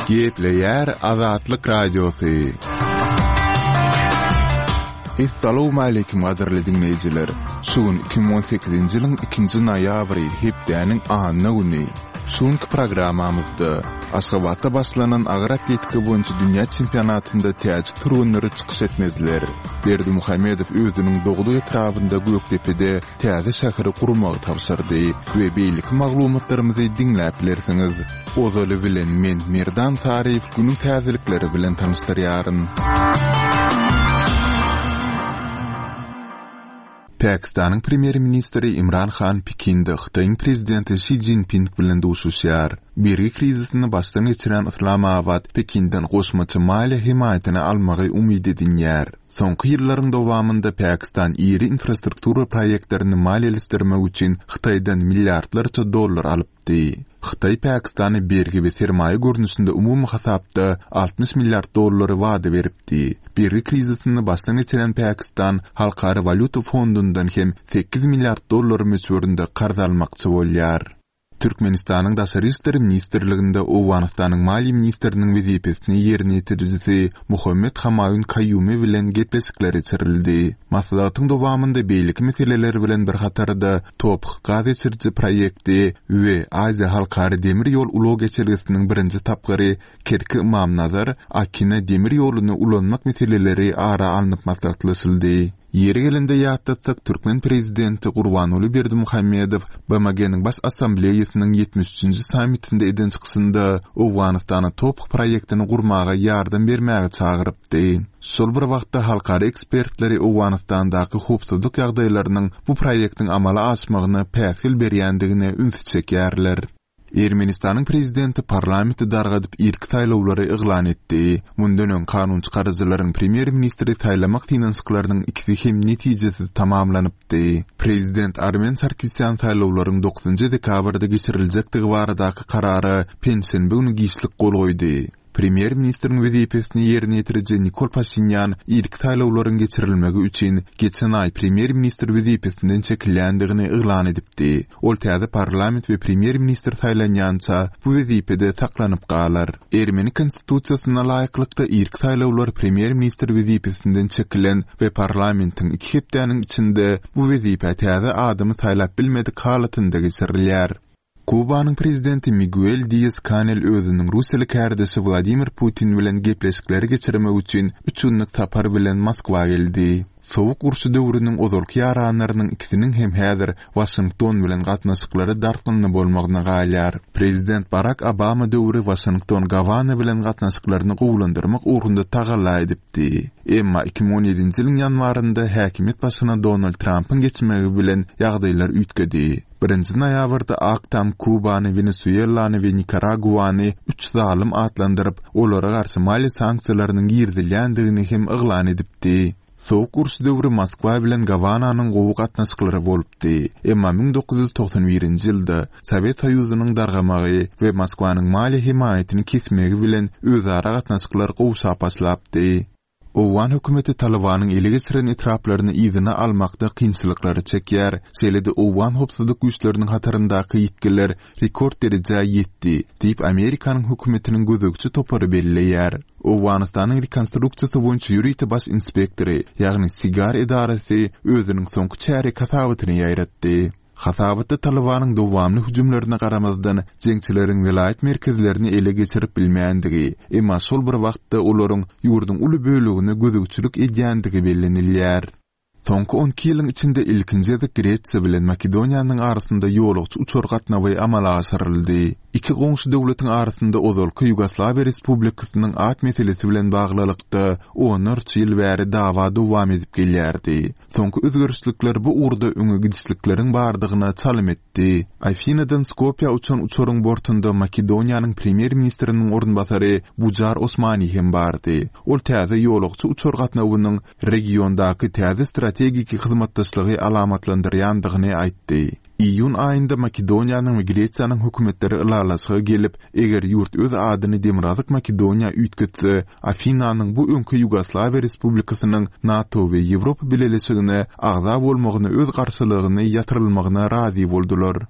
Gepleýär Azatlyk Radiosy. Essalawmaleýkim gadyrly diňleýjiler! Şu gün 2018-nji ýylyň ikinji noýabry, hepdäniň anna güni. Şu günki programmamyzda Aşgabatda başlanan agyr atletika boýunça dünýä çempionatynda täjik türgenleri çykyş etmediler. Berdimuhamedow özüniň dogduk etrabynda Gökdepede täze şäheri gurmagy tabşyrdy we beýleki maglumatlarymyzy diňläp bilersiňiz. Ozaly bilen men Merdan Saryýew günüň täzelikleri bilen tanyşdyrýaryn. Pakistanyň premýer-ministri Imran Han Pekinde Hytaýyň prezidenti Şi Szinping bilen duşuşýar. Bergi krizisini başdan geçirýän Yslamabat Pekinden goşmaça maliýe hemaýatyny almagy umyt edinýär. Soňky ýyllaryň dowamynda Pakistan iri infrastruktura proýektlerini maliýeleşdirmek üçin Hytaýdan milliardlarça dollar alypdy. Hytaý Pakistana bergi we sermaýa görnüşinde umumy hasapda 60 milliard dollary wada beripdi. Bergi krizisini başdan geçiren Pakistan Halkara walýuta fondundan hem 8 milliard dollar möçberinde karz almakçy bolýar. Türkmenistanyň Daşary işler ministrliginde Owganystanyň maliýe ministriniň wezipesini ýerine ýetirijisi Muhammet Hamaýun Kaýumi bilen gepleşikler geçirildi. Maslahatyň dowamynda beýleki meseleler bilen bir hatarda TOPH gaz geçiriji proýekti we Aziýa halkara demir ýol ulag geçelgesiniň birinji tapgyry Kerki-Ymamnazar, Akina demir ýoluny ulanmak meseleleri ara alnyp maslahatlaşyldy. Ýeri gelende ýatlatsak, türkmen prezidenti Gurbanguly Berdimuhamedow BMG-niň Baş Assambleýasynyň ýetmiş üçünji sammitinde eden çykyşynda Owganystana TOPH proýektini gurmaga ýardam bermäge çagyrypdy. Şol bir wagtda halkara ekspertleri Owganystandaky howpsuzlyk ýagdaýlarynyň bu proýektiň amala aşmagyna päsgel berýändigine ünsi çekýärler. Ermenistanyň prezidenti parlamenti dargadyp irki saýlawlary yglan etdi. Mundan öň kanunçykaryjylaryň premýer-ministri saýlamak synanyşyklarynyň ikisi hem netijesiz tamamlanypdy. Prezident Armen Sarkisýan saýlawlaryň dokuzynjy dekabrda geçiriljekdigi baradaky karara penşenbe güni giçlik gol goýdy. Premýer-ministriň wezipesini ýerine ýetiriji Nikol Paşinýan irki saýlawlaryň geçirilmegi üçin geçen aý premýer-ministr wezipesinden çekilýändigini yglan edipdi. Ol täze parlament we premýer-ministr saýlanýança bu wezipede saklanyp galar. Ermeni konstitusiýasyna laýyklykda irki saýlawlar premýer-ministr wezipesinden çekilen we parlamentiň iki hepdäniň içinde bu wezipä täze adamy saýlap bilmedik halatynda geçirilýär. Kubanyň prezidenti Miguel Dias-Kanel özüniň russiýaly kärdeşi Wladimir Putin bilen gepleşikleri geçirmek üçin üç günlük sapar bilen Moskwa geldi. Sowuk urşy döwrüniň ozalky ýaranlarynyň ikisiniň hem häzir Waşington bilen gatnaşyklary dartgynly bolmagyna galýar. Prezident Barak Obama döwri Waşington Gawana bilen gatnaşyklaryny gowulandyrmak ugrunda tagalla edipdi. Emma 2017-nji ýylyň ýanwarynda häkimiýet başyna Donald Trampyň geçmegi bilen ýagdaýlar üýtgedi. Birinji noýabrda Ak Tam Kubany, Wenesuelany we Nikaraguany üç zalym atlandyryp, olara garşy maliýe sanksiýalarynyň girizilýändigini hem yglan edipdi. Sowuk uruş döwri Moskwa bilen Gawananyň gowy gatnaşyklary bolupdy. Emma 1991-nji ýylda Sowet Soýuzynyň dargamagy we Moskwanyň maliýe hemaýatyny kesmegi bilen özara gatnaşyklar gowşap başlapdy. Owgan hökümeti Talybanyň ele geçiren etraplaryny yzyna almakda kynçylyklary çekýär, şeýle-de owgan howpsuzlyk güýçleriniň hataryndaky ýitgiler rekord derejä ýetdi, diýip Amerikanyň hökümetiniň gözegçi topary belleýär. Owganystanyň rekonstruksiýasy boýunça ýörite baş inspektory, ýagny SIGAR edarasy özüniň soňky çärýek hasabatyny ýaýratdy. Hasabatda Talybanyň dowamly hüjümlerine garamazdan, jeňçileriň welaýat merkezlerini ele geçirip bilmändigi, emma şol bir wagtda olaryň ýurduň uly bölegine gözegçilik edýändigi bellenilýär. Soňky on iki ýylyň içinde ilkinji gezek Gresiýa bilen Makedoniýanyň arasynda ýolagçy uçar gatnawy amala aşyryldy. Iki goňşy döwletiň arasynda ozalky Ýugoslawiýa Respublikasynyň at meselesi bilen baglylykda onlarça ýyl bäri dawa dowam edip gelýärdi. Soňky özgerişlikler bu ugurda öňe gidişlikleriň bardygyna çalym etdi. Afinadan Skopýa uçan uçaryň bortunda Makedoniýanyň premýer-ministriniň orunbasary Bujar Osmani hem bardy. Ol täze ýolagçy uçar gatnawynyň regiondaky täze strategiki hyzmatdaşlygy alamatlandyrýandygyny aýtdy. Iýun aýynda Makedoniýanyň we Gresiýanyň hökümetleri ylalaşyga gelip, eger ýurt öz adyny Demirgazyk Makedoniýa üýtgetse, Afinanyň bu öňki Ýugoslawiýa respublikasynyň NATO we Ýewropa Bileleşigine agza bolmagyna öz garşylygyny ýatyrylmagyna razy boldular.